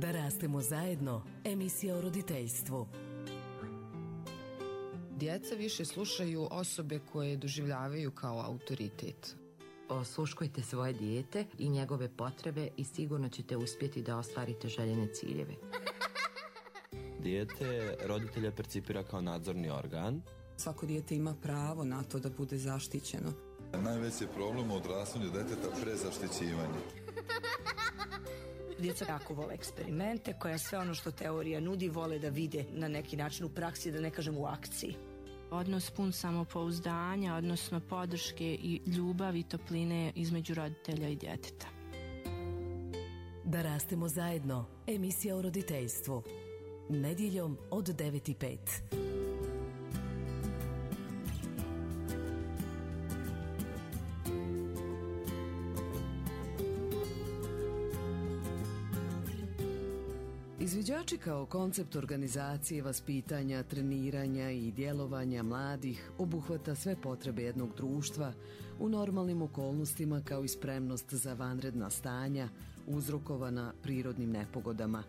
Da rastemo zajedno, emisija o roditeljstvu. Djeca više slušaju osobe koje doživljavaju kao autoritet. Osluškujte svoje dijete i njegove potrebe i sigurno ćete uspjeti da ostvarite željene ciljeve. Dijete roditelja percipira kao nadzorni organ. Svako dijete ima pravo na to da bude zaštićeno. Najveći je problem u odrastanju djeteta prezaštićivanje. Djeca jako vole eksperimente, koja sve ono što teorija nudi vole da vide na neki način u praksi, da ne kažem u akciji. Odnos pun samopouzdanja, odnosno podrške i ljubavi i topline između roditelja i djeteta. Da rastemo zajedno, emisija o roditeljstvu. Nedjeljom od 9:05. Izviđači kao koncept organizacije, vaspitanja, treniranja i djelovanja mladih obuhvata sve potrebe jednog društva u normalnim okolnostima kao i spremnost za vanredna stanja uzrokovana prirodnim nepogodama.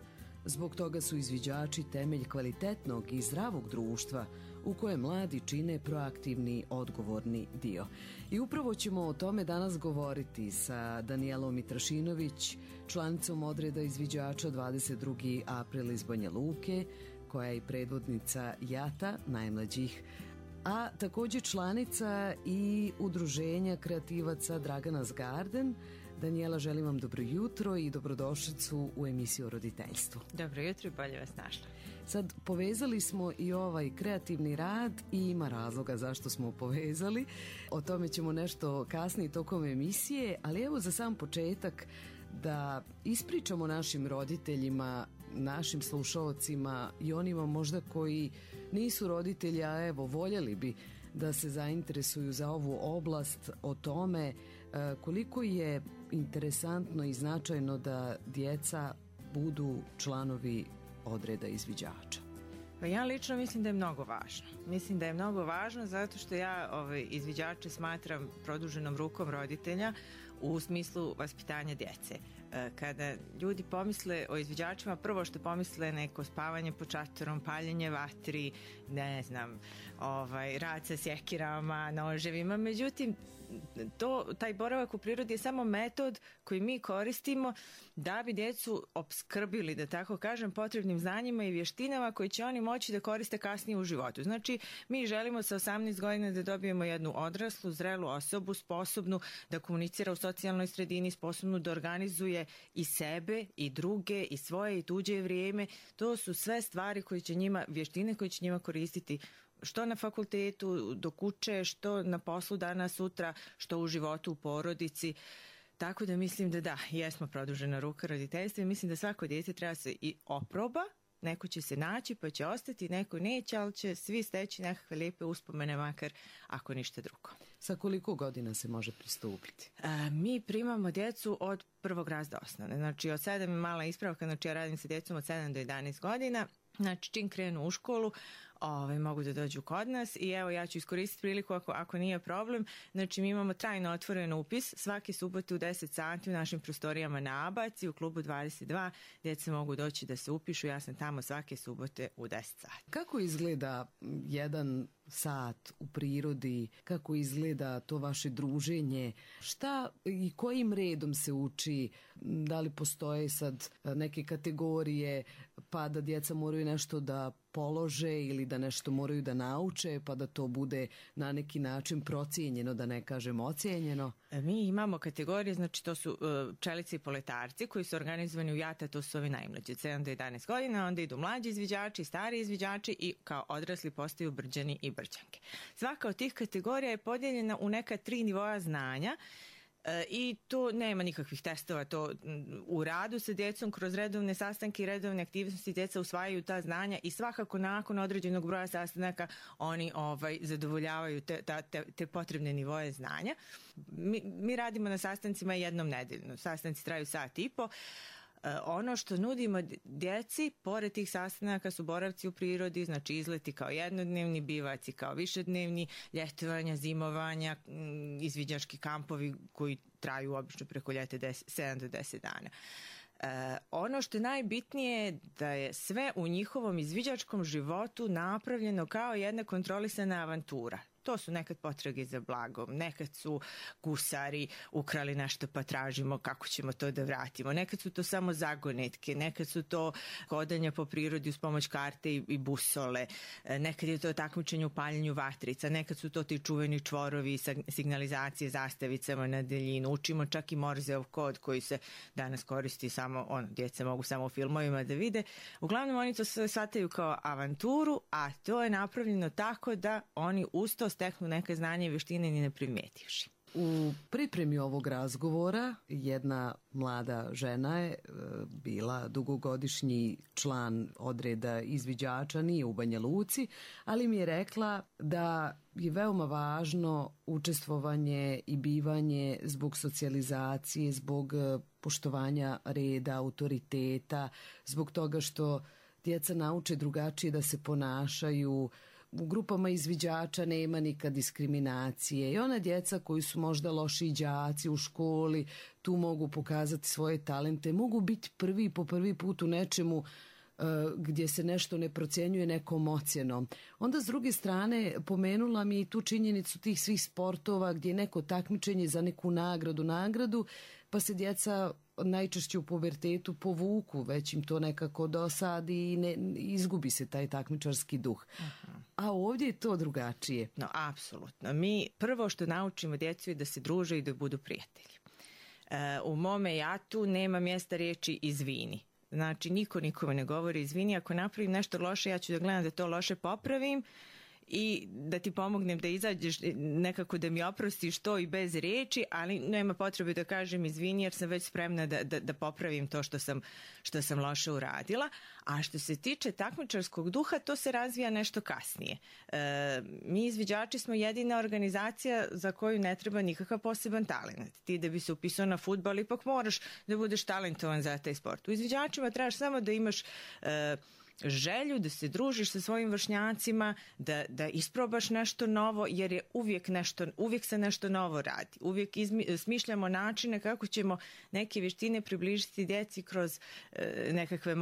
Zbog toga su izviđači temelj kvalitetnog i zdravog društva u kojem mladi čine proaktivni, odgovorni dio. I upravo ćemo o tome danas govoriti sa Danijelom Mitrašinović, članicom odreda izviđača 22. april iz Banja Luke, koja je i predvodnica JATA, najmlađih, a također članica i udruženja kreativaca Draganas Garden. Danijela, želim vam dobro jutro i dobrodošlicu u emisiju o roditeljstvu. Dobro jutro i bolje vas našla. Sad, povezali smo i ovaj kreativni rad i ima razloga zašto smo povezali. O tome ćemo nešto kasnije tokom emisije, ali evo za sam početak da ispričamo našim roditeljima, našim slušaocima i onima možda koji nisu roditelji, a evo voljeli bi da se zainteresuju za ovu oblast, o tome koliko je interesantno i značajno da djeca budu članovi odreda izviđača. Pa ja lično mislim da je mnogo važno. Mislim da je mnogo važno zato što ja izviđače smatram produženom rukom roditelja u smislu vaspitanja djece. Kada ljudi pomisle o izviđačima, prvo što pomisle neko spavanje pod šatorom, paljenje vatri, ne znam, rad sa sjekirama, noževima, međutim taj boravak u prirodi je samo metod koji mi koristimo da bi djecu opskrbili, da tako kažem, potrebnim znanjima i vještinama koje će oni moći da koriste kasnije u životu. Znači, mi želimo sa 18 godina da dobijemo jednu odraslu, zrelu osobu, sposobnu da komunicira u socijalnoj sredini, sposobnu da organizuje i sebe, i druge, i svoje, i tuđe vrijeme. To su sve stvari koje će njima, vještine koje će njima koristiti što na fakultetu, dok uče, što na poslu danas, sutra, što u životu, u porodici. Tako da mislim da jesmo produžena ruka roditeljstva i mislim da svako dijete treba se i oproba. Neko će se naći pa će ostati, neko neće, ali će svi steći nekakve lijepe uspomene, makar ako ništa drugo. Sa koliko godina se može pristupiti? Mi primamo djecu od prvog razreda osnovne. Znači od 7 je mala ispravka, znači ja radim sa djecom od 7 do 11 godina. Znači čim krenu u školu mogu da dođu kod nas i evo ja ću iskoristiti priliku ako nije problem. Znači mi imamo trajno otvoren upis svake subote u 10 sati u našim prostorijama na Abaci u klubu 22. Djeca mogu doći da se upišu, ja sam tamo svake subote u 10 sati. Kako izgleda jedan sat u prirodi, kako izgleda to vaše druženje, šta i kojim redom se uči, da li postoje sad neke kategorije pa da djeca moraju nešto da polože ili da nešto moraju da nauče pa da to bude na neki način procijenjeno, da ne kažem ocijenjeno? Mi imamo kategorije, znači to su pčelice i poletarci koji su organizovani u JATA, to su ovi najmlađi od 7 do 11 godina, onda idu mlađi izviđači, stari izviđači i kao odrasli postaju brđani i brđanke. Svaka od tih kategorija je podijeljena u neka 3 nivoa znanja. I to nema nikakvih testova, to u radu sa djecom kroz redovne sastanke i redovne aktivnosti djeca usvajaju ta znanja i svakako nakon određenog broja sastanaka oni zadovoljavaju te potrebne nivoje znanja. Mi radimo na sastancima jednom nedeljno, sastanci traju 1,5 sata. Ono što nudimo djeci, pored tih sastanaka su boravci u prirodi, znači izleti kao jednodnevni, bivaci kao višednevni, ljetovanja, zimovanja, izviđački kampovi koji traju obično preko ljeta 7 do 10 dana. Ono što je najbitnije je da je sve u njihovom izviđačkom životu napravljeno kao jedna kontrolisana avantura. To su nekad potrage za blagom, nekad su gusari ukrali nešto pa tražimo kako ćemo to da vratimo, nekad su to samo zagonetke, nekad su to hodanje po prirodi uz pomoć karte i busole, nekad je to takmičenje u paljenju vatrica, nekad su to ti čuveni čvorovi, signalizacije zastavicama na daljinu, učimo čak i Morzeov kod koji se danas koristi samo, djeca mogu samo u filmovima da vide. Uglavnom oni to sve shvataju kao avanturu, a to je napravljeno tako da oni uz to steknu neke znanje i vještine ni ne primetivši. U pripremi ovog razgovora jedna mlada žena je bila dugogodišnji član odreda izviđača, nije u Banja Luci, ali mi je rekla da je veoma važno učestvovanje i bivanje zbog socijalizacije, zbog poštovanja reda, autoriteta, zbog toga što djeca nauče drugačije da se ponašaju. U grupama izviđača nema nikad diskriminacije i ona djeca koji su možda loši đaci u školi tu mogu pokazati svoje talente, mogu biti po prvi put u nečemu gdje se nešto ne procjenjuje nekom ocjenom. Onda s druge strane pomenula mi i tu činjenicu tih svih sportova gdje je neko takmičenje za neku nagradu, pa se djeca najčešće u pubertetu povuku, već im to nekako dosadi i izgubi se taj takmičarski duh. A ovdje je to drugačije. No, apsolutno. Mi prvo što naučimo djecu je da se druže i da budu prijatelji. U mome jatu nema mjesta riječi izvini. Znači, niko nikome ne govori izvini, ako napravim nešto loše, ja ću da gledam da to loše popravim i da ti pomognem da izađeš, nekako da mi oprostiš to i bez riječi, ali nema potrebe da kažem izvini jer sam već spremna da popravim to što sam loše uradila. A što se tiče takmičarskog duha, to se razvija nešto kasnije. Mi izviđači smo jedina organizacija za koju ne treba nikakav poseban talent. Ti da bi se upisao na fudbal ipak moraš da budeš talentovan za taj sport. U izviđačima trebaš samo da imaš želju da se družiš sa svojim vršnjacima, da isprobaš nešto novo, jer je uvijek se nešto novo radi. Uvijek smišljamo načine kako ćemo neke vještine približiti djeci kroz nekakve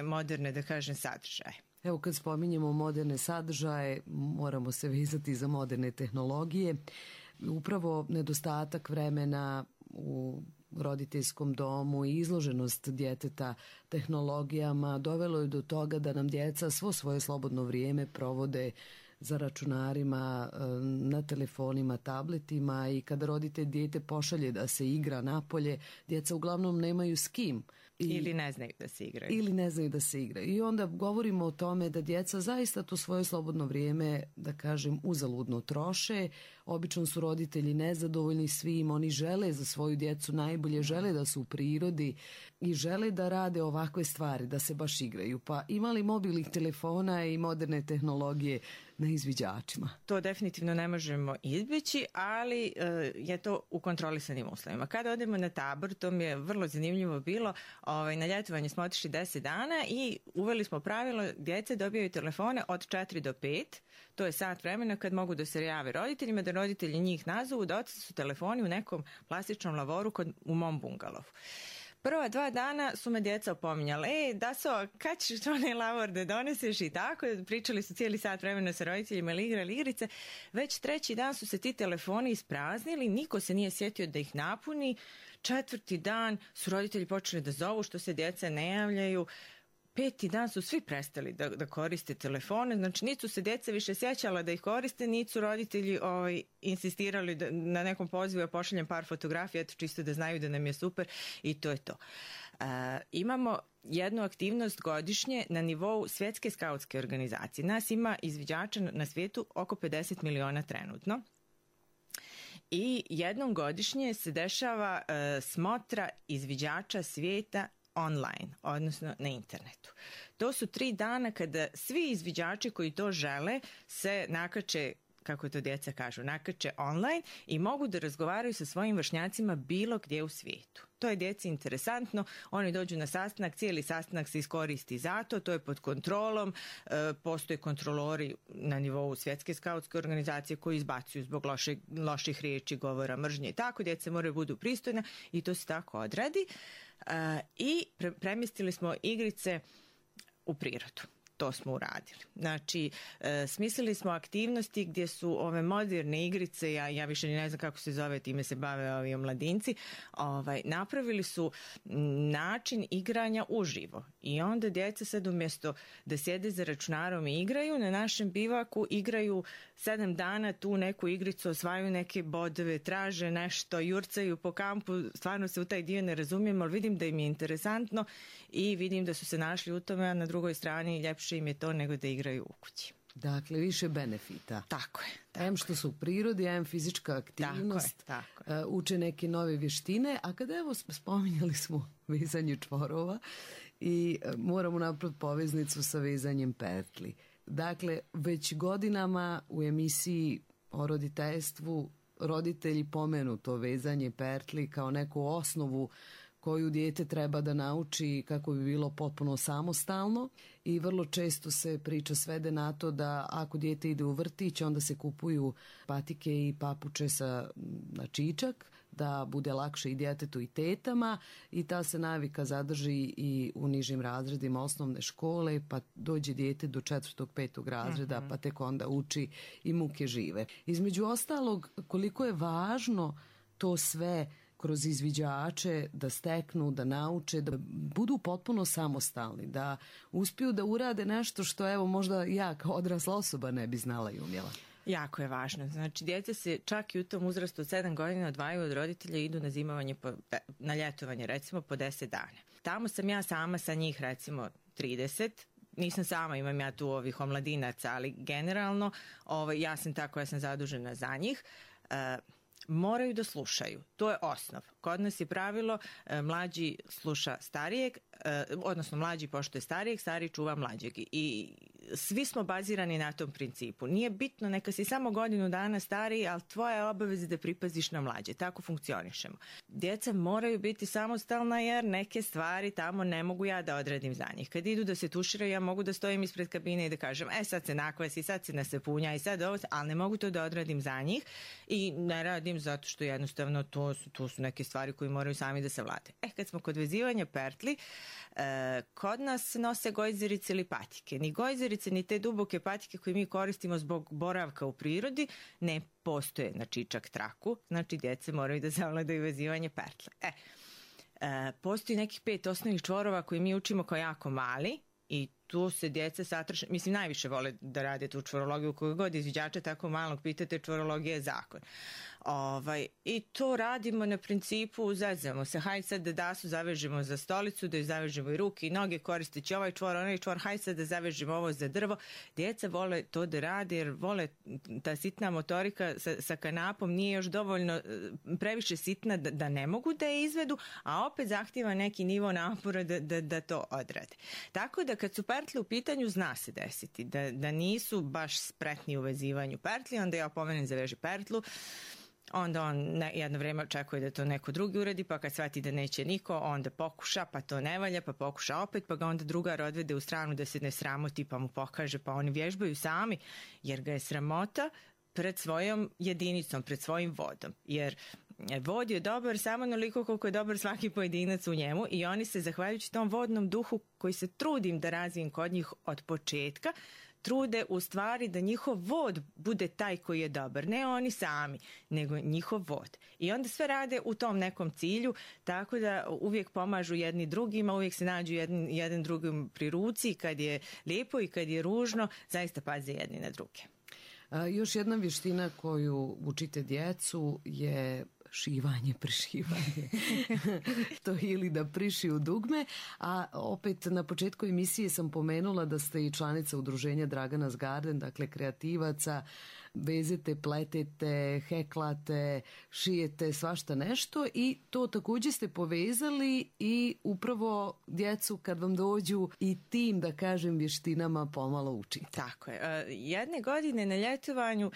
moderne, da kažem, sadržaje. Evo kad spominjemo moderne sadržaje, moramo se vezati za moderne tehnologije. Upravo nedostatak vremena u roditeljskom domu i izloženost djeteta tehnologijama dovelo je do toga da nam djeca svo svoje slobodno vrijeme provode za računarima, na telefonima, tabletima i kada roditelj dijete pošalje da se igra napolje, djeca uglavnom nemaju s kim. Ili ne znaju da se igraju. I onda govorimo o tome da djeca zaista to svoje slobodno vrijeme, da kažem, uzaludno troše. Obično su roditelji nezadovoljni svim, oni žele za svoju djecu najbolje, žele da su u prirodi i žele da rade ovakve stvari, da se baš igraju. Pa imali mobilnih telefona i moderne tehnologije na izviđačima? To definitivno ne možemo izbjeći, ali je to u kontrolisanim uslovima. Kada odemo na tabor, to mi je vrlo zanimljivo bilo, na ljetovanje smo otišli 10 dana i uveli smo pravilo, djece dobijaju telefone od 4 do 5, to je sat vremena kad mogu da se jave roditeljima, da roditelji njih nazovu, da su telefoni u nekom plastičnom lavoru u mom bungalovu. Prva 2 dana su me djeca opominjala, kad ćeš onaj lavor da doneseš i tako, pričali su cijeli sat vremena sa roditeljima ili igrali igrice, već 3. dan su se ti telefoni ispraznili, niko se nije sjetio da ih napuni, 4. dan su roditelji počeli da zovu što se djeca ne javljaju, 5. dan su svi prestali da koriste telefone, znači niti su se djeca više sjećala da ih koriste, niti su roditelji insistirali na nekom pozivu, ja pošaljem par fotografija, čisto da znaju da nam je super i to je to. Imamo jednu aktivnost godišnje na nivou svjetske skautske organizacije. Nas ima izviđača na svijetu oko 50 miliona trenutno. I jednom godišnje se dešava smotra izviđača svijeta online, odnosno na internetu. To su 3 dana kada svi izviđači koji to žele se nakače kako to djeca kažu, nakače online i mogu da razgovaraju sa svojim vršnjacima bilo gdje u svijetu. To je djeci interesantno, oni dođu na sastanak, cijeli sastanak se iskoristi za to je pod kontrolom, postoje kontrolori na nivou svjetske skautske organizacije koji izbacuju zbog loših riječi, govora, mržnje i tako, djeca moraju budu pristojna i to se tako odradi. I premjestili smo igrice u prirodu. To smo uradili. Znači, smislili smo aktivnosti gdje su ove moderne igrice, ja više ne znam kako se zove, time se bave ovi omladinci, napravili su način igranja uživo. I onda djeca sad umjesto da sjede za računarom i igraju, na našem bivaku igraju 7 dana tu neku igricu, osvajaju neke bodove, traže nešto, jurcaju po kampu, stvarno se u taj dio ne razumijem, ali vidim da im je interesantno i vidim da su se našli u tome, a na drugoj strani ljepše im je to nego da igraju u kući. Dakle, više benefita. Tako je. M što su u prirodi, M fizička aktivnost, tako je. Uče neke nove vještine, a kada evo spominjali smo vezanje čvorova i moramo napraviti poveznicu sa vezanjem pertli. Dakle, već godinama u emisiji o roditeljstvu roditelji pomenu to vezanje pertli kao neku osnovu koju dijete treba da nauči kako bi bilo potpuno samostalno i vrlo često se priča svede na to da ako dijete ide u vrtić onda se kupuju patike i papuče na čičak da bude lakše i djetetu i tetama i ta se navika zadrži i u nižim razredima osnovne škole pa dođe dijete do 4. 5. razreda pa tek onda uči i muke žive. Između ostalog koliko je važno to sve kroz izviđače da steknu, da nauče, da budu potpuno samostalni, da uspiju da urade nešto što evo možda ja kao odrasla osoba ne bi znala i umjela. Jako je važno. Znači, djeca se čak i u tom uzrastu od 7 godina odvajaju od roditelja i idu na zimovanje, na ljetovanje recimo po 10 dana. Tamo sam ja sama sa njih recimo 30, nisam sama, imam ja tu ovih omladinaca, ali generalno ja sam ta koja sam zadužena za njih. Moraju da slušaju. To je osnov. Kod nas je pravilo mlađi sluša starijeg, odnosno mlađi poštuje starijeg, stariji čuva mlađeg. I svi smo bazirani na tom principu. Nije bitno, neka si samo godinu dana stariji, ali tvoja je obaveza da pripaziš na mlađe. Tako funkcionišemo. Djeca moraju biti samostalna jer neke stvari tamo ne mogu ja da odradim za njih. Kad idu da se tuširaju, ja mogu da stojim ispred kabine i da kažem sad se nakvasi, sad se nasepunja i sad ovo, ali ne mogu to da odradim za njih i ne radim zato što jednostavno to su neke stvari koje moraju sami da se vlade. Kad smo kod vezivanja pertli, kod nas nose gojzerice ili patike. Ni gojzerice, ni te duboke patike koje mi koristimo zbog boravka u prirodi ne postoje na čičak traku, znači djece moraju da zavladaju vezivanje pertle. Postoji nekih 5 osnovnih čvorova koje mi učimo kao jako mali i tu se djeca satraše, mislim najviše vole da rade tu čvorologiju, koju god izviđača tako malog pitate, čvorologija je zakon. I to radimo na principu, zezamo se, hajde sad da dasu zavežemo za stolicu, da ju zavežemo i ruke i noge koristeći ovaj čvor, onaj čvor, hajde sad da zavežemo ovo za drvo. Djeca vole to da rade jer vole ta sitna motorika sa kanapom nije još dovoljno previše sitna da ne mogu da je izvedu, a opet zahtjeva neki nivo napora da to odrade. Tako da kad su pertli u pitanju zna se desiti da nisu baš spretni u vezivanju pertli, onda ja opomenem zaveži pertlu, onda on jedno vrijeme očekuje da to neko drugi uradi, pa kad shvati da neće niko, onda pokuša, pa to ne valja, pa pokuša opet, pa ga onda drugar odvede u stranu da se ne sramoti, pa mu pokaže, pa oni vježbaju sami, jer ga je sramota pred svojom jedinicom, pred svojim vodom, jer vod je dobar samo onoliko koliko je dobar svaki pojedinac u njemu i oni se, zahvaljujući tom vodnom duhu koji se trudim da razvijem kod njih od početka, trude u stvari da njihov vod bude taj koji je dobar. Ne oni sami, nego njihov vod. I onda sve rade u tom nekom cilju, tako da uvijek pomažu jedni drugima, uvijek se nađu jedan drugim pri ruci, kad je lijepo i kad je ružno, zaista paze jedni na druge. Još jedna vještina koju učite djecu je šivanje, prišivanje. To ili da prišiju dugme, a opet na početku emisije sam pomenula da ste i članica udruženja Draganas Garden, dakle kreativaca. vezete, pletete, heklate, šijete svašta nešto i to također ste povezali i upravo djecu kad vam dođu i tim, da kažem, vještinama pomalo učite. Tako je. Jedne godine na ljetovanju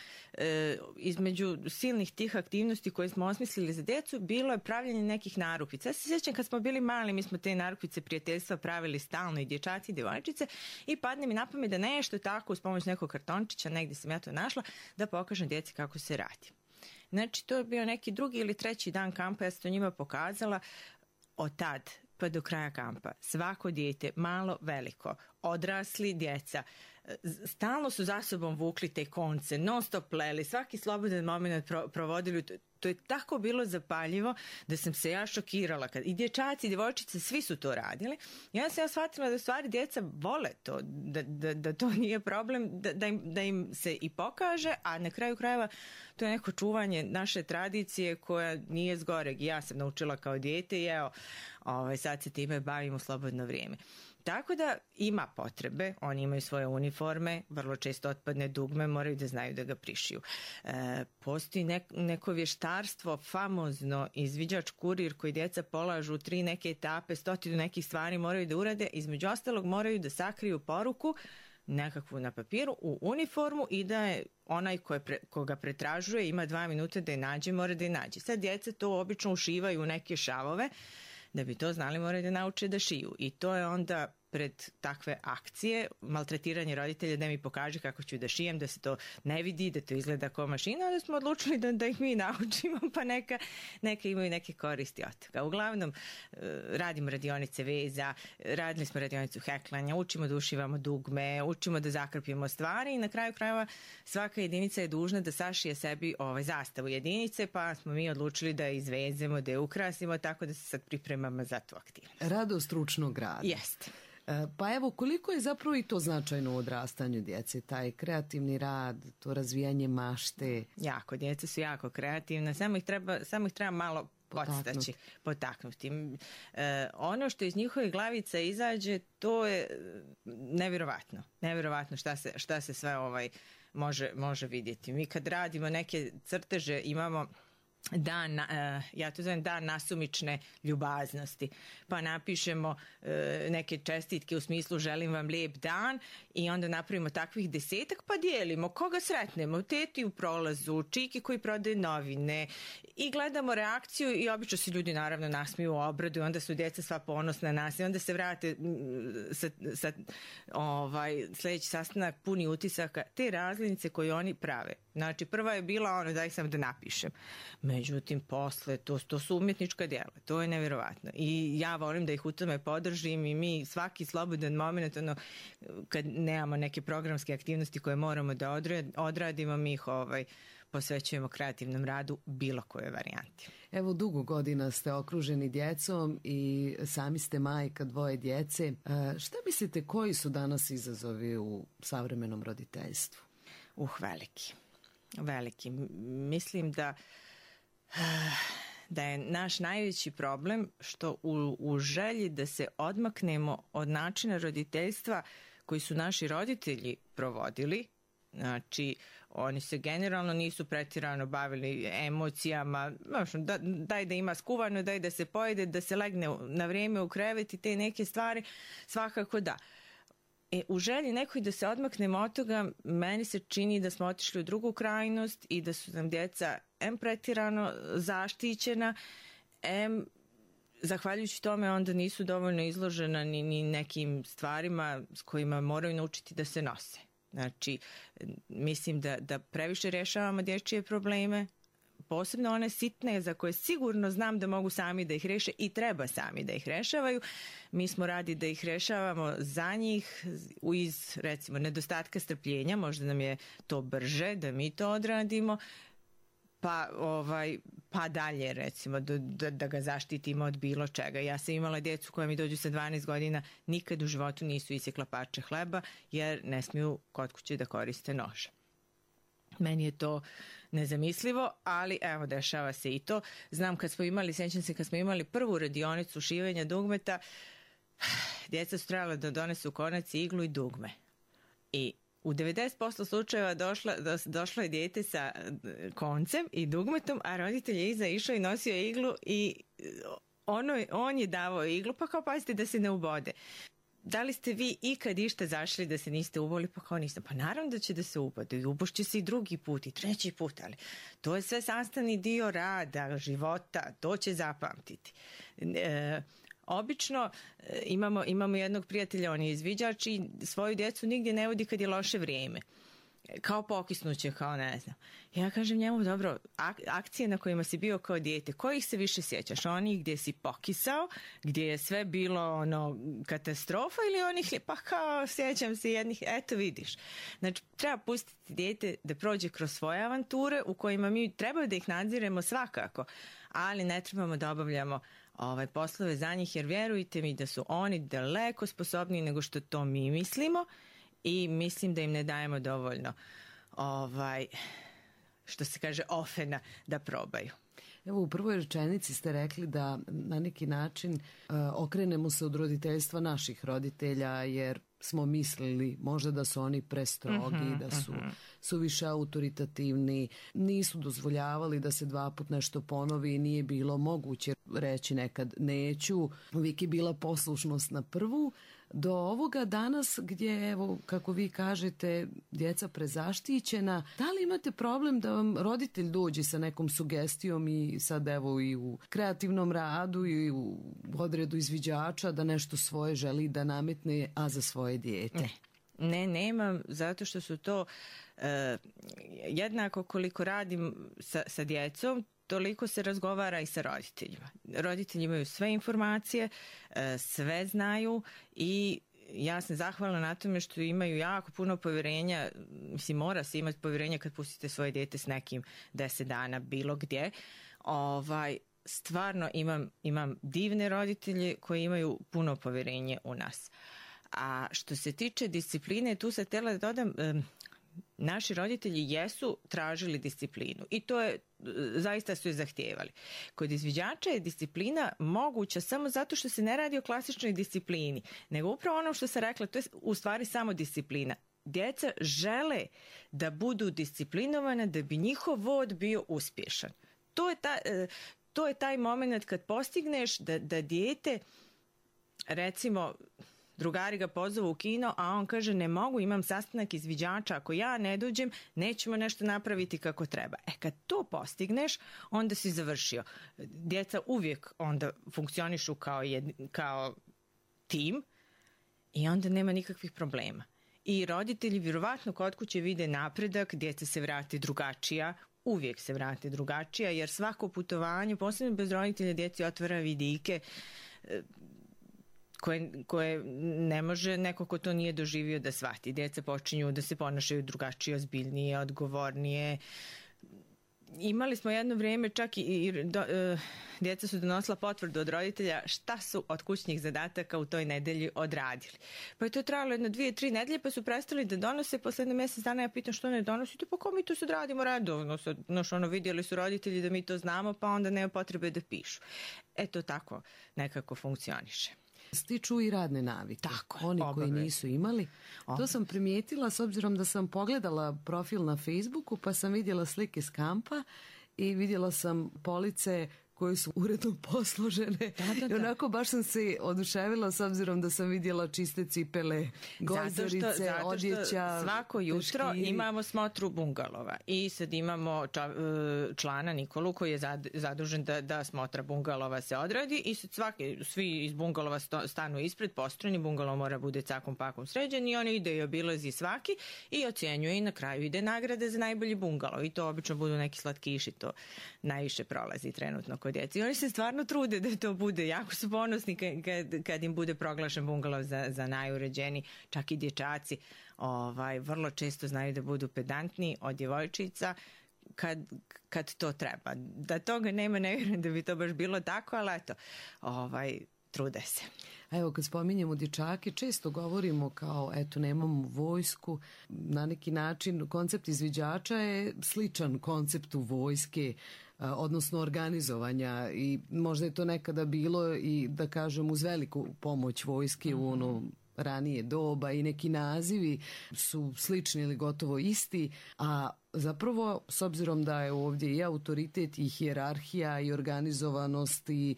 između silnih tih aktivnosti koje smo osmislili za djecu bilo je pravljenje nekih narukvica. Ja se sjećam kad smo bili mali, mi smo te narukvice prijateljstva pravili stalno i dječaci i djevojčice i padne mi na pamet da nešto tako uz pomoć nekog kartončića, negdje sam ja to našla, da pokažem djeci kako se radi. Znači, to je bio neki drugi ili treći dan kampa, ja sam to njima pokazala. Od tad pa do kraja kampa svako dijete, malo, veliko, odrasli, djeca, stalno su za sobom vukli te konce, non stop pleli, svaki slobodan moment provodili. To je tako bilo zapaljivo da sam se ja šokirala. I dječaci i djevojčice, svi su to radili. Ja sam shvatila da stvari djeca vole to, da to nije problem, da im se i pokaže, a na kraju krajeva to je neko čuvanje naše tradicije koja nije zgoreg. Ja sam naučila kao dijete i evo, sad se time bavim u slobodno vrijeme. Tako da ima potrebe, oni imaju svoje uniforme, vrlo često otpadne dugme, moraju da znaju da ga prišiju. Postoji neko vještarstvo, famozno izviđač kurir koji djeca polažu 3 neke etape, 100 nekih stvari moraju da urade, između ostalog moraju da sakriju poruku nekakvu na papiru u uniformu i da je onaj koga pretražuje ima 2 minuta da je nađe, mora da je nađe. Sad djeca to obično ušivaju u neke šavove. Da bi to znali, moraju da nauče da šiju. I to je onda pred takve akcije, maltretiranje roditelja da mi pokaže kako ću da šijem, da se to ne vidi, da to izgleda kao mašina, onda smo odlučili da ih mi naučimo, pa neka imaju neke koristi od toga. Uglavnom, radimo radionice veza, radili smo radionicu heklanja, učimo da ušivamo dugme, učimo da zakrpimo stvari i na kraju krajeva svaka jedinica je dužna da sašije sebi zastavu jedinice, pa smo mi odlučili da je izvezemo, da je ukrasimo, tako da se sad pripremamo za tu aktivnost. Radost ručnog rada. Jeste. Pa evo, koliko je zapravo i to značajno u odrastanju djece, taj kreativni rad, to razvijanje mašte? Jako, djeca su jako kreativna, samo ih treba malo potaknuti. Ono što iz njihovih glavica izađe, to je nevjerovatno šta se sve može vidjeti. Mi kad radimo neke crteže imamo ja to zovem dan nasumične ljubaznosti, pa napišemo neke čestitke u smislu želim vam lijep dan i onda napravimo takvih 10, pa dijelimo koga sretnemo, teti u prolazu, čiki koji prodaje novine i gledamo reakciju i obično se ljudi naravno nasmiju u obradu i onda su djeca sva ponosna na nas i onda se vrate sa sljedeći sastanak puni utisaka te razglednice koje oni prave. Znači prva je bila daj sam da napišem. Međutim, posle, to su umjetnička djela, to je nevjerovatno. I ja volim da ih u tome podržim i mi svaki slobodan moment, kad nemamo neke programske aktivnosti koje moramo da odradimo, mi ih posvećujemo kreativnom radu bilo koje varijanti. Evo, dugo godina ste okruženi djecom i sami ste majka 2 djece. Šta mislite, koji su danas izazovi u savremenom roditeljstvu? Veliki. Mislim da je naš najveći problem što u želji da se odmaknemo od načina roditeljstva koji su naši roditelji provodili, znači oni se generalno nisu pretjerano bavili emocijama, daj da ima skuvano, daj da se pojede, da se legne na vrijeme u krevet i te neke stvari, svakako da. U želji nekoj da se odmaknemo od toga, meni se čini da smo otišli u drugu krajnost i da su nam djeca pretjerano zaštićena, zahvaljujući tome onda nisu dovoljno izložena ni nekim stvarima s kojima moraju naučiti da se nose. Znači, mislim da previše rješavamo dječje probleme, posebno one sitne za koje sigurno znam da mogu sami da ih reše i treba sami da ih rešavaju. Mi smo radi da ih rešavamo za njih iz, recimo, nedostatka strpljenja, možda nam je to brže da mi to odradimo, pa dalje, recimo, da ga zaštitimo od bilo čega. Ja sam imala djecu koja mi dođu sa 12 godina, nikad u životu nisu isjekla parče hleba, jer ne smiju kod kuće da koriste nož. Meni je to nezamislivo, ali evo, dešava se i to. Znam sjećam se kad smo imali prvu radionicu šivanja dugmeta, djeca su trebala da donesu konac, iglu i dugme. I u 90% slučajeva došlo je dijete sa koncem i dugmetom, a roditelj je iza išao i nosio iglu i on je davao iglu, pa kao pazite da se ne ubode. Da li ste vi ikad išta zašli da se niste uboli? Pa kao niste. Pa naravno da će da se ubode i ubošće se i drugi put i treći put, ali to je sve sastavni dio rada, života, to će zapamtiti. Obično imamo jednog prijatelja, on je izviđač i svoju djecu nigdje ne vodi kad je loše vrijeme. Kao pokisnuće, kao ne znam. Ja kažem njemu, dobro, akcije na kojima si bio kao dijete, kojih se više sjećaš? Onih gdje si pokisao, gdje je sve bilo katastrofa, ili onih, pa kao sjećam se jednih, eto vidiš. Znači, treba pustiti dijete da prođe kroz svoje avanture u kojima mi trebaju da ih nadziremo svakako, ali ne trebamo da obavljamo poslove za njih, jer vjerujte mi da su oni daleko sposobniji nego što to mi mislimo i mislim da im ne dajemo dovoljno što se kaže ofena da probaju. Evo, u prvoj rečenici ste rekli da na neki način okrenemo se od roditeljstva naših roditelja, jer smo mislili možda da su oni prestrogi, da su suviše autoritativni, nisu dozvoljavali da se 2 puta nešto ponovi i nije bilo moguće reći nekad neću. Uvijek je bila poslušnost na prvu. Do ovoga danas gdje, evo, kako vi kažete, djeca prezaštićena, da li imate problem da vam roditelj dođe sa nekom sugestijom i sad evo i u kreativnom radu i u odredu izviđača da nešto svoje želi da nametne, a za svoje dijete? Ne, nemam, zato što su to jednako koliko radim sa djecom, toliko se razgovara i sa roditeljima. Roditelji imaju sve informacije, sve znaju i ja sam zahvalna na tome što imaju jako puno povjerenja. Mislim, mora se imati povjerenja kad pustite svoje dijete s nekim 10 dana bilo gdje. Stvarno imam divne roditelje koji imaju puno povjerenje u nas. A što se tiče discipline, tu se htjela da dodam, naši roditelji jesu tražili disciplinu i to je, zaista su je zahtijevali. Kod izviđača je disciplina moguća samo zato što se ne radi o klasičnoj disciplini, nego upravo ono što sam rekla, to je u stvari samo disciplina. Djeca žele da budu disciplinovane da bi njihov vod bio uspješan. To je taj moment kad postigneš da dijete, recimo, drugari ga pozovu u kino, a on kaže ne mogu, imam sastanak izviđača, ako ja ne dođem, nećemo nešto napraviti kako treba. Kad to postigneš, onda si završio. Djeca uvijek onda funkcionišu kao tim i onda nema nikakvih problema. I roditelji vjerovatno kod kuće vide napredak, djeca se vrati drugačija, uvijek se vrati drugačija, jer svako putovanje, posebno bez roditelja, djeci otvara vidike koje ne može neko ko to nije doživio da shvati. Djeca počinju da se ponašaju drugačije, ozbiljnije, odgovornije. Imali smo jedno vrijeme čak djeca su donosila potvrdu od roditelja šta su od kućnih zadataka u toj nedelji odradili. Pa je to trajalo 2-3 nedelje, pa su prestali da donose. Poslednje mjesec dana ja pitam što ne donosite, pa kao mi to sad radimo redovno. Vidjeli su roditelji da mi to znamo, pa onda nema potrebe da pišu. To tako nekako funkcioniše. Stiču i radne navike. Tako, oni koji nisu imali. To sam primijetila s obzirom da sam pogledala profil na Facebooku, pa sam vidjela slike s kampa i vidjela sam police koje su uredno posložene. I onako baš sam se oduševila s obzirom da sam vidjela čiste cipele, gojzerice, odjeća. Svako jutro imamo smotru bungalova i sad imamo člana Nikolu koji je zadužen da smotra bungalova se odradi i sad svi iz bungalova stanu ispred, postrojeni, bungalov mora bude cakom pakom sređen i oni ide i obilazi svaki i ocjenjuje i na kraju ide nagrade za najbolji bungalov i to obično budu neki slatkiši, to najviše prolazi trenutno kod djeci. Oni se stvarno trude da to bude. Jako su ponosni kad im bude proglašen bungalov za najuređeniji. Čak i dječaci vrlo često znaju da budu pedantni od djevojčica kad to treba. Da toga nema, ne vjerujem da bi to baš bilo tako, ali eto, trude se. Evo, kad spominjemo dječake, često govorimo kao, nemamo vojsku. Na neki način koncept izviđača je sličan konceptu vojske, odnosno organizovanja, i možda je to nekada bilo i, da kažem, uz veliku pomoć vojske u ranije doba i neki nazivi su slični ili gotovo isti, a zapravo s obzirom da je ovdje i autoritet i hijerarhija i organizovanost i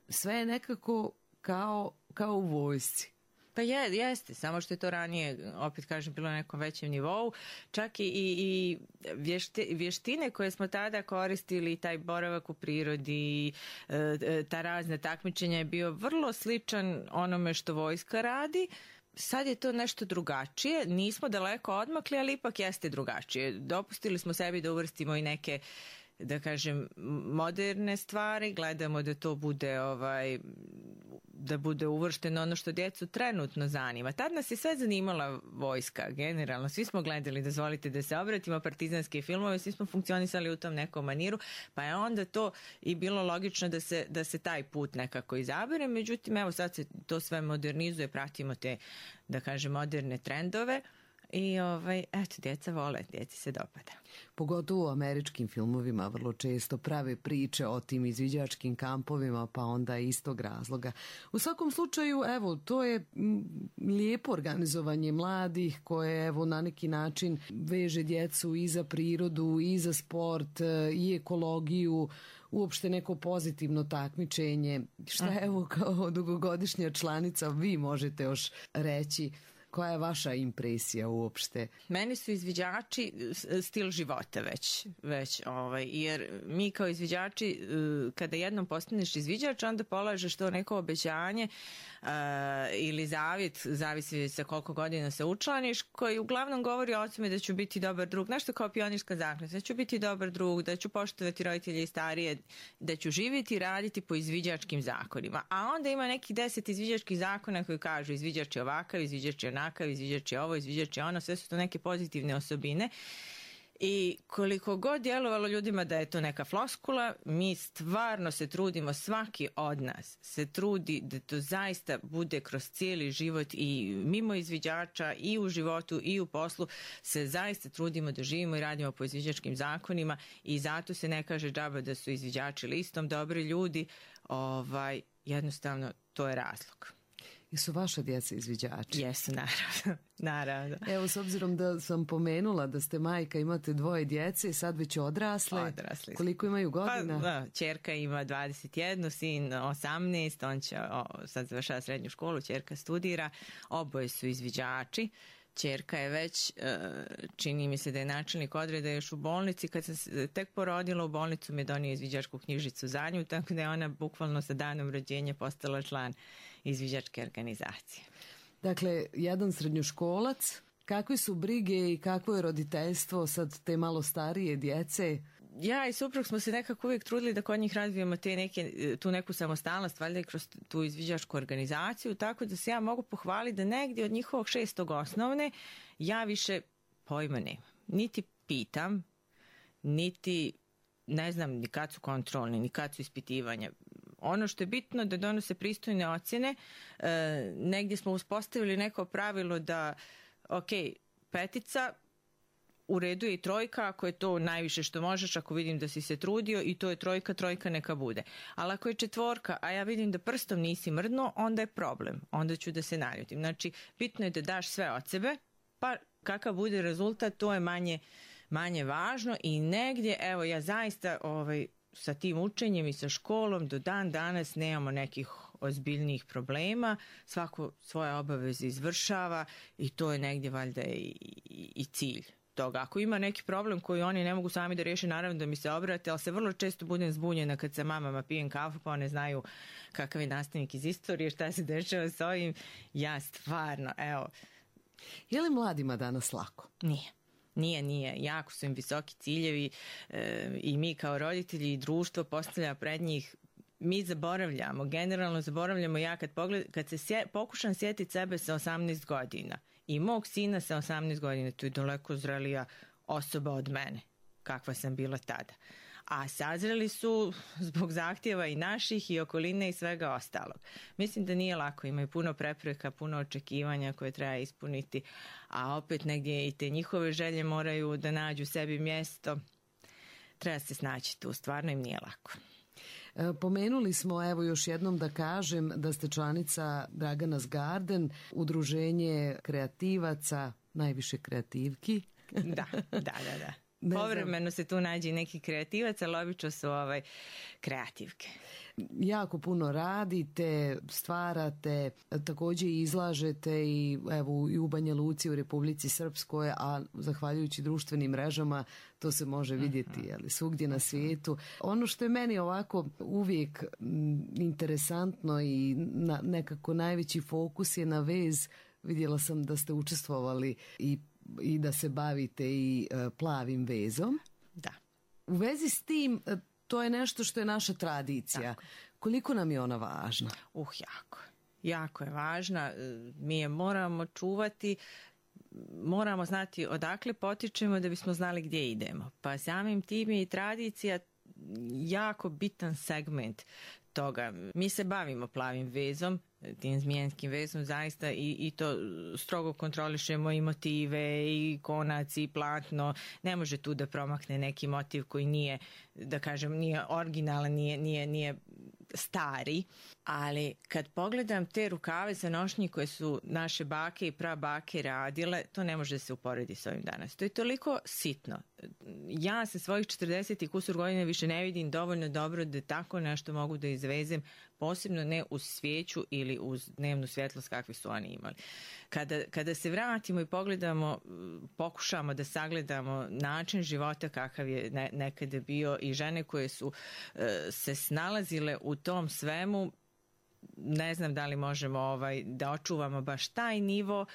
sve je nekako kao u vojsci. Pa jeste, samo što je to ranije, opet kažem, bilo na nekom većem nivou. Čak i vještine koje smo tada koristili, taj boravak u prirodi, ta razna takmičenja je bio vrlo sličan onome što vojska radi. Sad je to nešto drugačije, nismo daleko odmakli, ali ipak jeste drugačije. Dopustili smo sebi da uvrstimo i neke, da kažem, moderne stvari, gledamo da to bude da bude uvršteno ono što djecu trenutno zanima. Tad nas je sve zanimala vojska, generalno. Svi smo gledali, dozvolite da se obratimo, partizanske filmove, svi smo funkcionisali u tom nekom maniru, pa je onda to i bilo logično da se taj put nekako izabere. Međutim, evo sad se to sve modernizuje, pratimo te, da kažem, moderne trendove. I eto, djeca vole, djeci se dopada. Pogotovo u američkim filmovima vrlo često prave priče o tim izviđačkim kampovima, pa onda iz tog razloga. U svakom slučaju, evo, to je lijepo organizovanje mladih koje, evo, na neki način veže djecu i za prirodu, i za sport, i ekologiju, uopšte neko pozitivno takmičenje. Šta, evo, kao dugogodišnja članica vi možete još reći? Koja je vaša impresija uopšte? Meni su izviđači stil života već jer mi kao izviđači, kada jednom postaneš izviđač, onda polažeš to neko obećanje ili zavjet, zavisi sa koliko godina se učlaniš, koji uglavnom govori o tome da ću biti dobar drug, nešto kao pionirska zakletva, da ću biti dobar drug, da ću poštovati roditelje i starije, da ću živjeti i raditi po izviđačkim zakonima. A onda ima neki 10 izviđačkih zakona koji kažu izviđač je ovakav, izviđač je onakav, izviđač je ovo, izviđač je ono, sve su to neke pozitivne osobine. I koliko god djelovalo ljudima da je to neka floskula, mi stvarno se trudimo, svaki od nas se trudi da to zaista bude kroz cijeli život i mimo izviđača i u životu i u poslu se zaista trudimo da živimo i radimo po izviđačkim zakonima i zato se ne kaže džaba da su izviđači listom dobri ljudi, jednostavno to je razlog. Jesu vaša djeca izviđači? Jesu, naravno. Evo, s obzirom da sam pomenula da ste majka, imate 2 djece, sad već odrasle. Koliko imaju godina? Pa, ćerka ima 21, sin 18, on će sad završava srednju školu, ćerka studira, oboje su izviđači. Ćerka je već, čini mi se da je načelnik odreda još u bolnici, kad sam se tek porodila u bolnicu mi je donio izviđačku knjižicu za nju, tako da je ona bukvalno sa danom rođenja postala član izviđačke organizacije. Dakle, jedan srednjoškolac, kakve su brige i kakvo je roditeljstvo sad te malo starije djece? Ja i suprug smo se nekako uvijek trudili da kod njih razvijemo tu neku samostalnost, valjda i kroz tu izviđačku organizaciju, tako da se ja mogu pohvaliti da negdje od njihovog 6. osnovne ja više pojma nemam. Niti pitam, niti ne znam ni kad su kontrolni, ni kad su ispitivanja. Ono što je bitno da donose pristojne ocjene, negdje smo uspostavili neko pravilo da, ok, 5, u redu je i 3, ako je to najviše što možeš, ako vidim da si se trudio i to je 3 neka bude. Ali ako je 4, a ja vidim da prstom nisi mrdnuo, onda je problem, onda ću da se naljutim. Znači, bitno je da daš sve od sebe, pa kakav bude rezultat, to je manje važno i negdje, evo ja zaista sa tim učenjem i sa školom do dan danas nemamo nekih ozbiljnijih problema, svako svoje obaveze izvršava i to je negdje valjda i cilj toga. Ako ima neki problem koji oni ne mogu sami da riješe, naravno da mi se obrate, ali se vrlo često budem zbunjena kad sa mamama pijem kafu pa one znaju kakav je nastavnik iz istorije, šta se dešava s ovim. Ja stvarno, evo. Je li mladima danas lako? Nije. Jako su im visoki ciljevi i mi kao roditelji i društvo postavlja pred njih. Mi generalno zaboravljamo. Ja kad se pokušam sjetiti sebe sa 18 godina i mog sina sa 18 godina, to je daleko zrelija osoba od mene, kakva sam bila tada. A sazreli su zbog zahtjeva i naših i okoline i svega ostalog. Mislim da nije lako, imaju puno prepreka, puno očekivanja koje treba ispuniti, a opet negdje i te njihove želje moraju da nađu sebi mjesto. Treba se snaći tu, stvarno im nije lako. Pomenuli smo, evo još jednom da kažem, da ste članica Draganas Garden, udruženje kreativaca, najviše kreativki. Da. Povremeno se tu nađe neki kreativac, ali obično su kreativke. Jako puno radite, stvarate, također izlažete i evo i u Banja Luci, u Republici Srpskoj, a zahvaljujući društvenim mrežama to se može vidjeti svugdje na svijetu. Ono što je meni ovako uvijek interesantno i nekako najveći fokus je na vez. Vidjela sam da ste učestvovali i da se bavite i plavim vezom. Da. U vezi s tim, to je nešto što je naša tradicija. Tako. Koliko nam je ona važna? Jako. Jako je važna. Mi je moramo čuvati, moramo znati odakle potičemo da bismo znali gdje idemo. Pa samim tim je i tradicija jako bitan segment toga. Mi se bavimo plavim vezom, tim zmijenskim vezom zaista i to strogo kontrolišemo i motive i konac i platno. Ne može tu da promakne neki motiv koji nije, da kažem, nije originalan, nije stari, ali kad pogledam te rukave za nošnji koje su naše bake i prabake radile, to ne može se uporediti s ovim danas. To je toliko sitno. Ja sa svojih 40 i kusur godina više ne vidim dovoljno dobro da tako nešto mogu da izvezem, posebno ne uz svijeću ili uz dnevnu svjetlost kakvi su oni imali. Kada se vratimo i pogledamo, pokušamo da sagledamo način života kakav je nekada bio i žene koje su se snalazile u tom svemu, ne znam da li možemo da očuvamo baš taj nivo,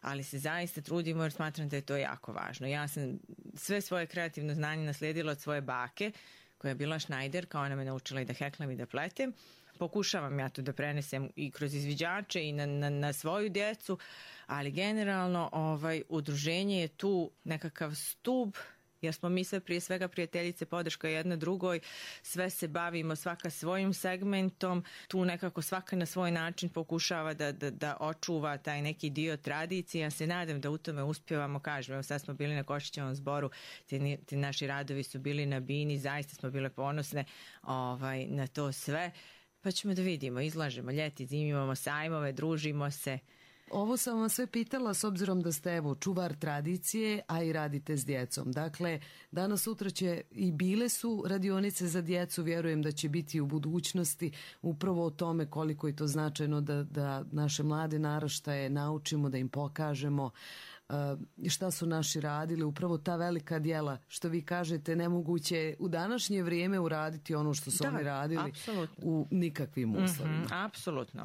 ali se zaista trudimo jer smatram da je to jako važno. Ja sam sve svoje kreativno znanje naslijedila od svoje bake, koja je bila šnajderka, ona me naučila i da heklam i da pletem. Pokušavam ja to da prenesem i kroz izviđače i na svoju djecu, ali generalno udruženje je tu nekakav stub, jer smo mi sve prije svega prijateljice, podrška jedna drugoj, sve se bavimo svaka svojim segmentom, tu nekako svaka na svoj način pokušava da očuva taj neki dio tradicije. Ja se nadam da u tome uspjevamo, kažem, evo sad smo bili na Košićevom zboru, ti naši radovi su bili na bini, zaista smo bile ponosne na to sve. Pa ćemo da vidimo, izlažemo ljeti, zimi, imamo sajmove, družimo se. Ovo sam vas sve pitala s obzirom da ste čuvar tradicije, a i radite s djecom. Dakle, danas sutra će i bile su radionice za djecu, vjerujem da će biti u budućnosti, upravo o tome koliko je to značajno da naše mlade naraštaje naučimo, da im pokažemo šta su naši radili, upravo ta velika djela, što vi kažete, nemoguće u današnje vrijeme uraditi ono što su oni radili u nikakvim uslovima. Apsolutno,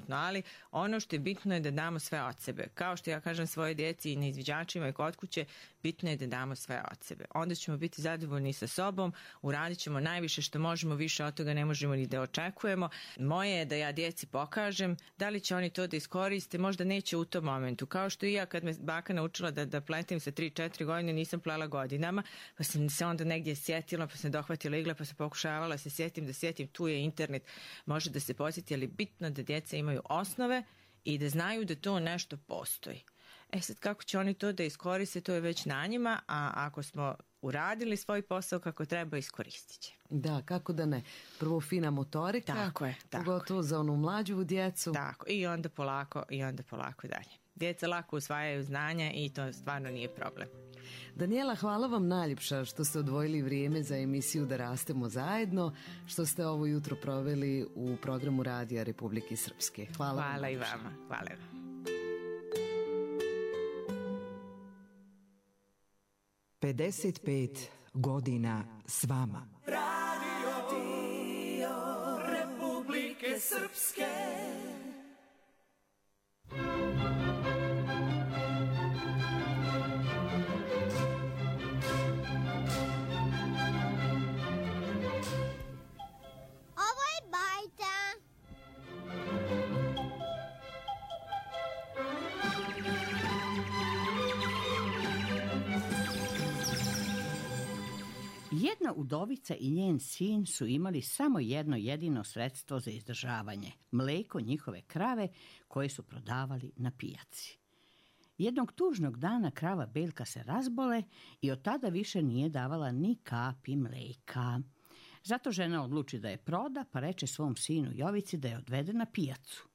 ali ono što je bitno je da damo sve od sebe. Kao što ja kažem svoje djeci i na izviđačima i kod kuće, bitno je da damo sve od sebe. Onda ćemo biti zadovoljni sa sobom, uradit ćemo najviše što možemo, više od toga ne možemo ni da očekujemo. Moje je da ja djeci pokažem, da li će oni to da iskoriste, možda neće u tom momentu. Kao što i ja kad me baka naučila da pletem sa 3-4 godine, nisam plela godinama, pa sam se onda negdje sjetila, pa sam dohvatila igle, pa sam pokušavala se sjetim, tu je internet, može da se posjeti, ali bitno da djeca imaju osnove i da znaju da to nešto postoji. Sad kako će oni to da iskoriste, to je već na njima, a ako smo uradili svoj posao kako treba, iskoristit će. Da, kako da ne. Prvo fina motorika, tako je. Pogotovo za onu mlađu djecu. Tako, i onda polako dalje. Djeca lako usvajaju znanja i to stvarno nije problem. Danijela, hvala vam najljepša što ste odvojili vrijeme za emisiju Da rastemo zajedno, što ste ovo jutro proveli u programu Radija Republike Srpske. Hvala i vama. Hvala vam. 55 godina s vama. Radio Republike Srpske. Ovo je bajta. Jedna udovica i njen sin su imali samo jedno jedino sredstvo za izdržavanje, mleko njihove krave koje su prodavali na pijaci. Jednog tužnog dana krava Beljka se razbole i od tada više nije davala ni kapi mleka. Zato žena odluči da je proda, pa reče svom sinu Jovici da je odvede na pijacu.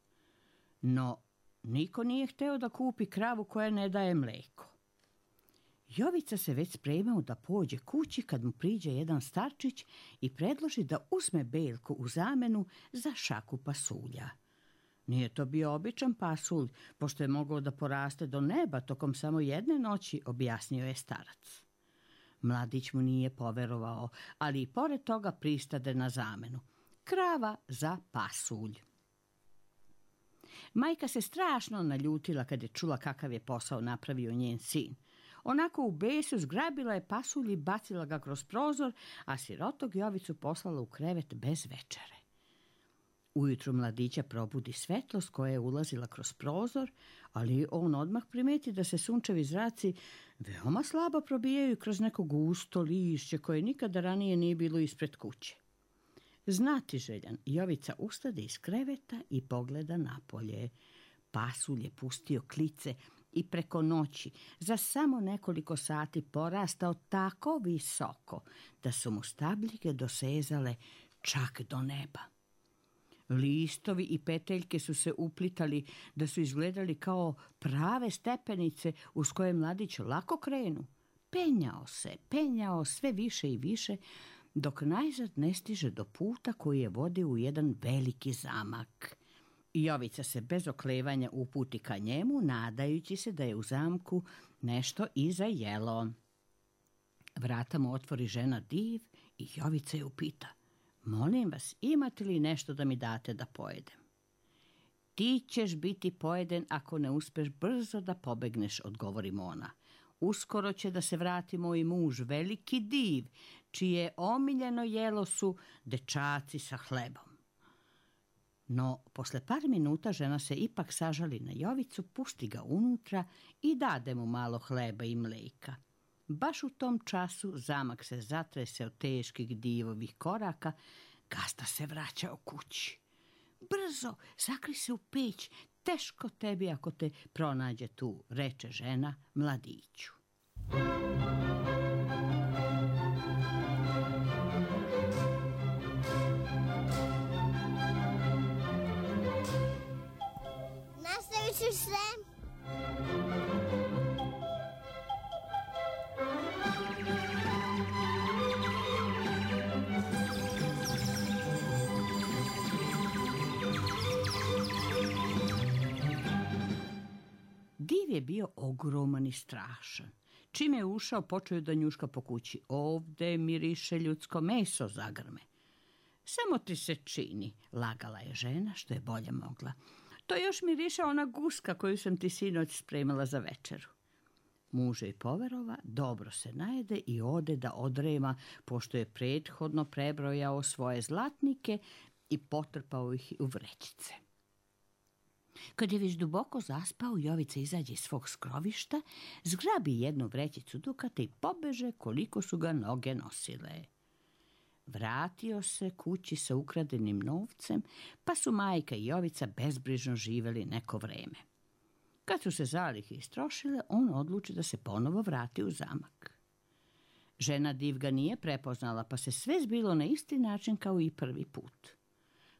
No, niko nije hteo da kupi kravu koja ne daje mleko. Jovica se već spremao da pođe kući kad mu priđe jedan starčić i predloži da uzme Beljku u zamenu za šaku pasulja. Nije to bio običan pasulj, pošto je mogao da poraste do neba tokom samo jedne noći, objasnio je starac. Mladić mu nije poverovao, ali i pored toga pristade na zamenu. Krava za pasulj. Majka se strašno naljutila kad je čula kakav je posao napravio njen sin. Onako u besu zgrabila je pasulj i bacila ga kroz prozor, a sirotog Jovicu poslala u krevet bez večere. Ujutru mladića probudi svetlost koja je ulazila kroz prozor, ali on odmah primeti da se sunčevi zraci veoma slabo probijaju kroz neko gusto lišće koje nikada ranije nije bilo ispred kuće. Znatiželjan, Jovica ustade iz kreveta i pogleda napolje. Pasulj je pustio klice i preko noći za samo nekoliko sati porastao tako visoko da su mu stabljike dosezale čak do neba. Listovi i peteljke su se uplitali da su izgledali kao prave stepenice uz koje mladić lako krenu. Penjao sve više i više, dok najzad ne stiže do puta koji je vodio u jedan veliki zamak. Jovica se bez oklevanja uputi ka njemu, nadajući se da je u zamku nešto i zajelo. Vrata mu otvori žena Div i Jovica je upita: molim vas, imate li nešto da mi date da pojedem? Ti ćeš biti pojeden ako ne uspeš brzo da pobegneš, odgovori mu ona. Uskoro će da se vrati moj muž, veliki Div, čije omiljeno jelo su dečaci sa hlebom. No, posle par minuta žena se ipak sažali na Jovicu, pusti ga unutra i dade mu malo hleba i mleka. Baš u tom času zamak se zatrese od teških Divovih koraka, gazda se vraćao kući. Brzo, sakri se u peć, teško tebi ako te pronađe tu, reče žena mladiću. Nastavit ću se. Div je bio ogroman i strašan. Čim je ušao, počeo je da njuška po kući. Ovde miriše ljudsko meso, zagrme. Samo ti se čini, lagala je žena što je bolje mogla. To još miriše ona guska koju sam ti sinoć spremila za večeru. Muž je poverova, dobro se najede i ode da odrema, pošto je prethodno prebrojao svoje zlatnike i potrpao ih u vrećice. Kad je već duboko zaspao, Jovica izađe iz svog skrovišta, zgrabi jednu vrećicu dukata i pobeže koliko su ga noge nosile. Vratio se kući sa ukradenim novcem, pa su majka i Jovica bezbrižno živeli neko vreme. Kad su se zalihe istrošile, on odluči da se ponovo vrati u zamak. Žena Div ga nije prepoznala, pa se sve zbilo na isti način kao i prvi put.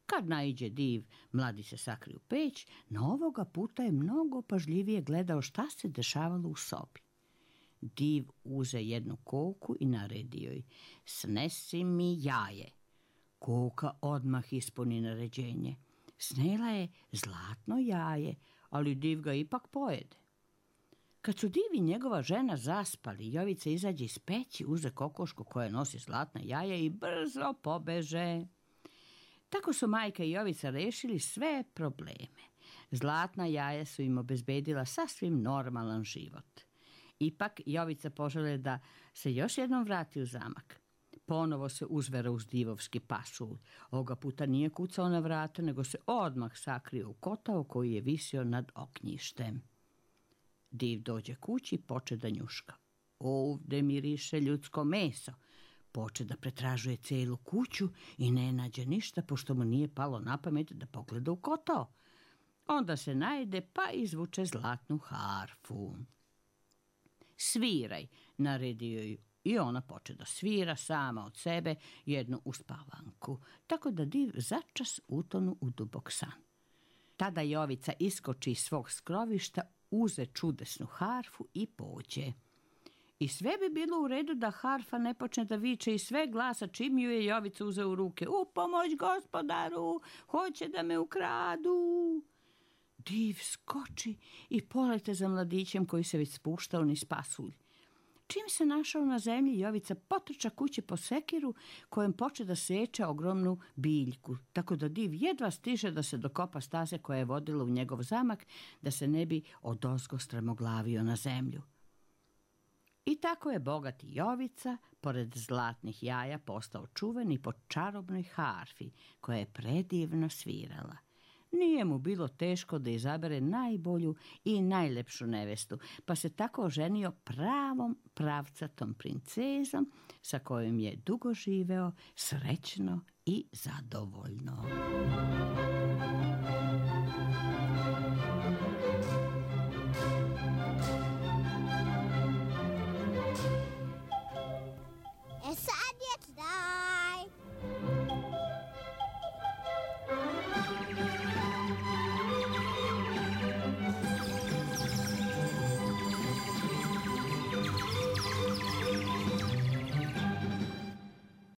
Kad naiđe Div, mladi se sakri u peć, no ovoga puta je mnogo pažljivije gledao šta se dešavalo u sobi. Div uze jednu koku i naredi joj: snesi mi jaje. Koka odmah ispuni naređenje. Snela je zlatno jaje, ali Div ga ipak pojede. Kad su Div i njegova žena zaspali, Jovica izađe iz peći, uze kokošku koja nosi zlatna jaja i brzo pobeže. Tako su majka i Jovica rešili sve probleme. Zlatna jaja su im obezbedila sasvim normalan život. Ipak Jovica požele da se još jednom vrati u zamak. Ponovo se uzvera uz divovski pasulj. Ovoga puta nije kucao na vrata, nego se odmah sakrio u kotao koji je visio nad ognjištem. Div dođe kući i poče da njuška. Ovde miriše ljudsko meso. Poče da pretražuje celu kuću i ne nađe ništa, pošto mu nije palo na pamet da pogleda u kotao. Onda se najede pa izvuče zlatnu harfu. Sviraj, naredio joj I ona poče da svira sama od sebe jednu uspavanku, tako da div začas utonu u dubok san. Tada Jovica iskoči iz svog skrovišta, uze čudesnu harfu i pođe. I sve bi bilo u redu da harfa ne počne da viče i sve glasa čim ju je Jovica uzeo u ruke. U pomoć gospodaru, hoće da me ukradu. Div skoči i polete za mladićem koji se već spuštao niz pasulj. Čim se našao na zemlji, Jovica potrča kući po sekiru kojem poče da seče ogromnu biljku, tako da div jedva stiže da se dokopa staze koja je vodila u njegov zamak, da se ne bi odozgo strmoglavio na zemlju. I tako je bogati Jovica, pored zlatnih jaja, postao čuveni po čarobnoj harfi koja je predivno svirala. Nije mu bilo teško da izabere najbolju i najlepšu nevestu, pa se tako oženio pravom pravcatom princezom sa kojom je dugo živeo srećno i zadovoljno.